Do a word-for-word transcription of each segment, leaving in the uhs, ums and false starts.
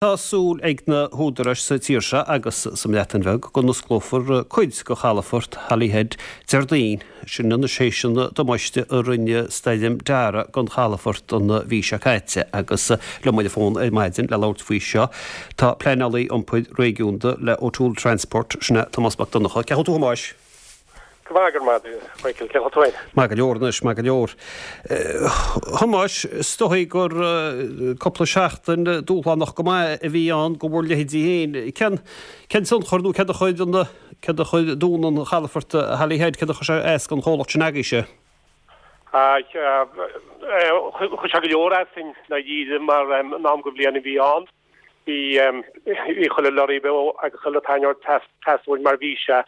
Tá súil ag na húdaráis sa tír seo agus sa mBreatain Bheag go n-osclófar cuid de chalafort Holyhead Déardaoin, sin anois théis an damáiste a rinne Stoirm Dara don chalafort an mhí seo caite. Agus liom ar an bhfón ar maidin le labhairt faoi seo tá pleanálaí iompair réigiúnda le O'Toole Transport, sin é Tomás Mac Donncha. Cén chaoi a bhfuil tú, a Thomáis? Go maith, go raibh maith, Michael, cén chaoi a bhfuil tú féin? Maith go leor anois, maith go leor. Thomáis, is dóigh gur cúpla seachtain dúshlánach go maith a bhí ann do bhur leithéidí féin. Cén cén tionchar nó céard a chuir an céard a chuir dúnadh an chalafoirt Holyhead, céard a chuir sé as don chomhlacht sin agaibhse? Chuir sé go leor as i ndáiríre mar an am den bhliain a bhí ann. Bhí bhí chuile lorry beo agus chuile tarraineoir teastáil uainn mar bhí sé.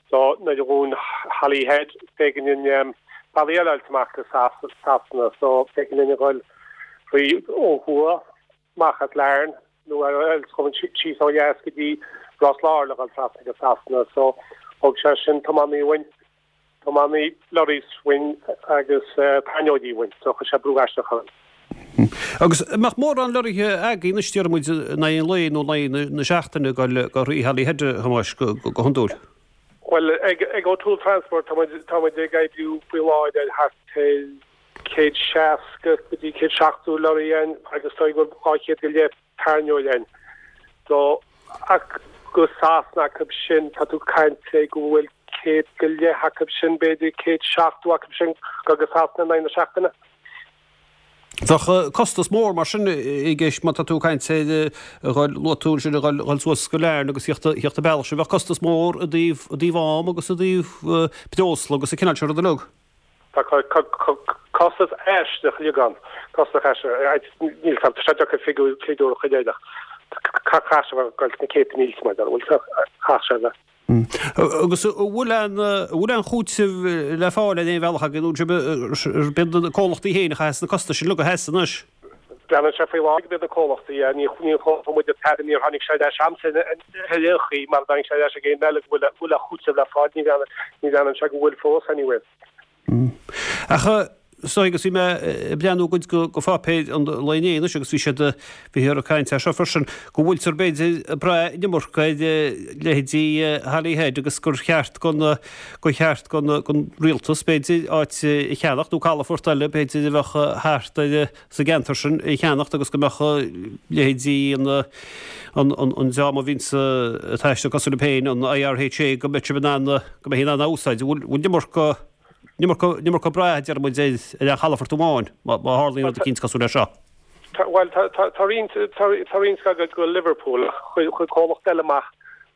So nuair a dhún Holyhead b'éigean dúinn bealaí eile a fháilt amach go Sasana so b'éigean dúinn a dhul faoi ó thuaidh amach as Larne nó ar eile síos ó dheas go dtí Ros Láir le dhul trasna go Sasana so thóg sé sin tiománaí uainn tiománaí lorries uainn agus tarraineoirí uainn so chuir sé brú aisteach orainn. Agus an mbeadh mórán lorraithe agaibh anois déarfaidh muid in aghaidh an lae nó in aghaidh na seachtaine ag dul go thrí Holyhead, a Thomáis, go hiondúil? Bhuel, ag ag O'Toole Transport tá muid tá muid ag oibriú faoi láthair ar thart ar céad seasca go dtí céad seachtó lorry againn agus tá go dhá chéad go leith tarraineoir againn. So ach go Sasana acu sin tá tú ag caint go bhfuil céad go leith acu sin b'fhéidir céad seachtó acu sin go go Sasana in aghaidh na seachtaine. Bheadh costas mór mar sin i gceist má tá tú ag caint ar a dhul, luaigh tú ansin a dhul dhul suas go Larne agus theacht theacht an bealach sin, bheadh costas mór i dtaobh i dtaobh am agus i dtaobh breosla agus an cineál sin rud uilig. Tá costas aisteach uilig ann, costas aisteach, níl tá sé deacair figiúr figiúr a chur air ach caithfidh sé a bheith ag dul sna céadta mílte mar bhfuil caithfidh sé a bheith. Agus an bhfuil aon bhfuil aon chúiteamh le fáil ar aon bhealach agaibh nó an iad na comhlachtaí féin a chaithfeas na costais sin uilig a sheasamh anois? Breathnaíonn sé faoi láthair go mb'iad na comhlachtaí, ní ní chuala muid an tAire, níor tháinig sé ar ais a'msa ar aon chaoi mar a dtáinig sé ar ais ag aon eile go bhfuil bhfuil aon chúiteamh le fáil, ní ní bhreathnaíonn sé go bhfuil fós anyway. Ach is dóigh agus bhí mé ag breathnú cuid de pháipéir an lae inné anois agus bhí siad, bhíothar ag caint air seo freisin, go bhfuiltear b'fhéidir ag brath an iomarca ar leithéidí Holyhead agus gur cheart don, gur cheart don, don rialtas b'fhéidir áit a cheannacht nó calafort eile b'fhéidir a bheadh thart ar sa gceantar sin a cheannacht agus go mbeadh leithéidí an, an, an, an dream a bhíonns ag taisteal cosúil libh féin, an IRHA, go mbeadh sibh in ann, go mbeifí in ann a úsáid. An bhfuil, bhfuil an iomarca. An iomarca brath, a deir muid, ar an chalafort amháin, má tharlaíonn rud eicínt cosúil leis seo. Bhuel, tá roinnt tá roinnt ag go Liverpool ach chuir comhlacht eile amach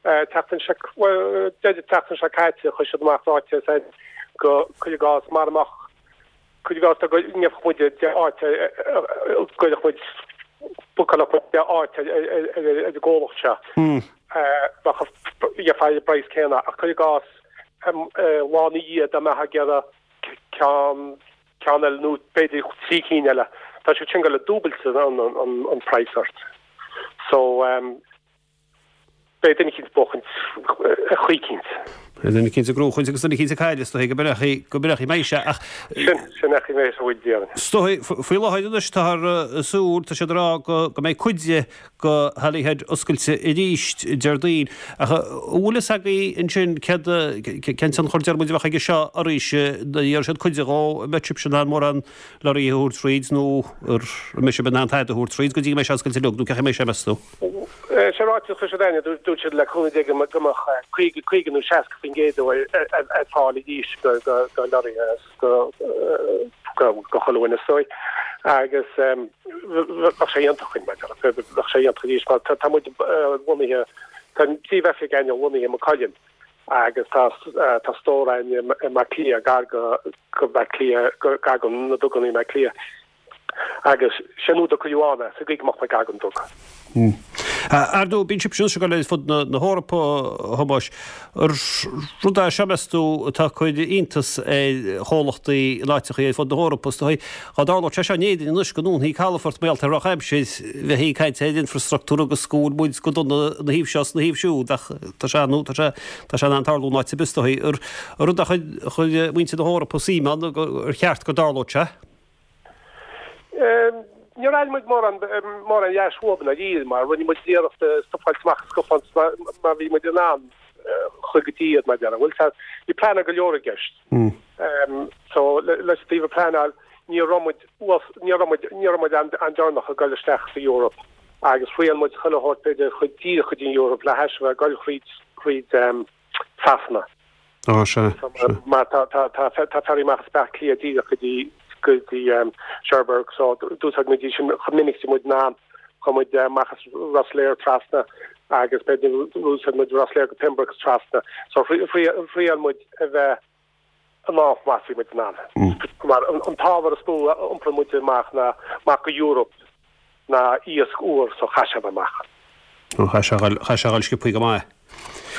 tseachtain seo, bhuel, deireadh tseachtain seo caite, chuir siad amach ráiteas ar go, cuir i gcás, mara mbeadh, cuir i gcás dá ngeobhadh muid deich áit, gcuirfeadh muid, bookáilfeadh muid deich áit ar an gcomhlacht seo, bheadh, gheofá an praghas céanna ach cuir i gcás, lá ina dhiaidh dá mbeifeá ag iarraidh ceann, ceann eile nó b'fhéidir trí cinn eile, tá siad sin ag dul ag dúbailt an, an, an praghas ort. So, beidh duine eicínt ag buachaint ar chaoi eicínt. Beidh duine eicínt ag gnóchaint agus duine eicínt ag cailleadh, is dóigh, go mbeidh, go mbeidh mé sé ach. Sin, sin é chaoi mé sa bhfuil déarfainn. Is dóigh, faoi láthair anois táthar ag súil, tá siad ag rá go, go mbeidh cuid de go Holyhead oscailte arís Déardaoin. Ach an bhfuil fhios agaibh ansin céard, cén tionchar deir muid a bheadh aige seo oraibhse, nuair a iarrfaidh siad cuid dhó, an mbeidh sibhse in ann mórán lorraithe a thabhairt thríd nó an mbeidh sibh in ann tada a thabhairt thríd go dtí go mbeidh sé oscailte uilig nó cén chaoi a mbeidh sé meas tú? Sé ráiteas a chuir siad againne, dúirt siad le cúnamh Dé go mbeadh caoga, caoga nó seasca faoin gcéad ar fáil arís go lorraithe. go go chuile dhuine is dóigh agus bheadh sé iontach chuinn mar bheadh sé iontach arís mar tá muid lonnaithe tá an príomhoifig againne lonnaithe i Maigh Cuilinn agus tá tá stór againn i mBaile Átha Cliath gar go go Baile Átha Cliath gar go na duganna i mBaile Átha Cliath. Agus sé an rud a cuireadh ann é, sa gcaoi go mbeadh muid gar don duga. Ar ndóigh, bíonn sibhse anois ag dul ar fud na hEorpa, a Thomáis. Rud é seo, meas tú, atá ag cur iontas ar chomhlachtaí in áiteachaí ar fud na hEorpa, is dóigh. Dá dtarlódh sé seo in Éirinn anois, go ndúnfaí calafort mar gheall ar dhrochaimsir, bheifí ag caint ar infrastruchtúr agus go bhfuil muid go dona ina thaobh seo is ina thaobh siúd, ach tá sé, nó tá sé, tá sé in ann tarlú in áit ar bith, is dóigh. An rud a chuir muintir na hEorpa suim ann, ar cheart go dtarlódh sé? Níor fháil muid mórán mórán dheis uathu dáiríre mar rinne muid iarracht stuff a fháil amach as scafán mar bhí muid in ann chuig go dtí iad mar deara. Bhfuil tá bhí plean go leor i gceist. Um, so leis taobh pleanáil ní raibh muid ní raibh muid ní raibh muid an an-deireanach ag dul isteach sa Eoraip agus thriail muid chuile shórt b'fhéidir chuid díreach go dtí Eoraip le hais bheith goil thríd thríd um, Sasana. Á sea. Mar tá tá tá tá ferry amach as Baile Átha Cliath díreach go dtí go dtí um, Cherbourg so d'úsáid muid sin chomh minic muid ná chuaigh muid amach as Rosslare trasna agus b'fhéidir d'úsáid muid Rosslare go Pembroke trasna so thriail muid a bheith an áth más muid ná. Mar an t-ábhar is mó a iompar muid amach ná amach go Europe ná iasc úr so chaith sé amach. Chaith sé dul sciobtha go maith.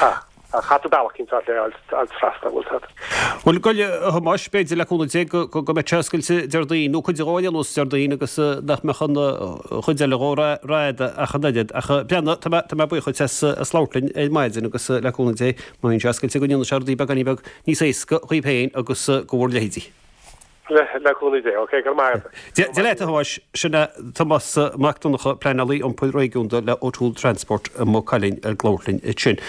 Ha. Chaith bealach cinn le al trasna bhfuil tad. Bhuel goil a Thomáis b'fhéidir le cúnamh Dé go go mbeidh sé oscailte Déardaoin nó cuid de anuas Déardaoin agus nach mbeadh an chuid eile dhó rada ach an oiread ach breathnaigh tá mé tá mé buíoch duit as as labhairt linn ar maidin agus le cúnamh Dé má bhíonn sé oscailte go ndéanfaidh sé rudaí beagáinín beag níos éasca dhaoibh féin agus go bhur leithéidí. Le le cúnamh Dé, ok, go maith. Dia leat a Thomáis sin é Tomás Mac Donncha pleanálaí iompair réigiúnda le O'Toole Transport i Maigh Cuilinn ag labhairt linn ansin.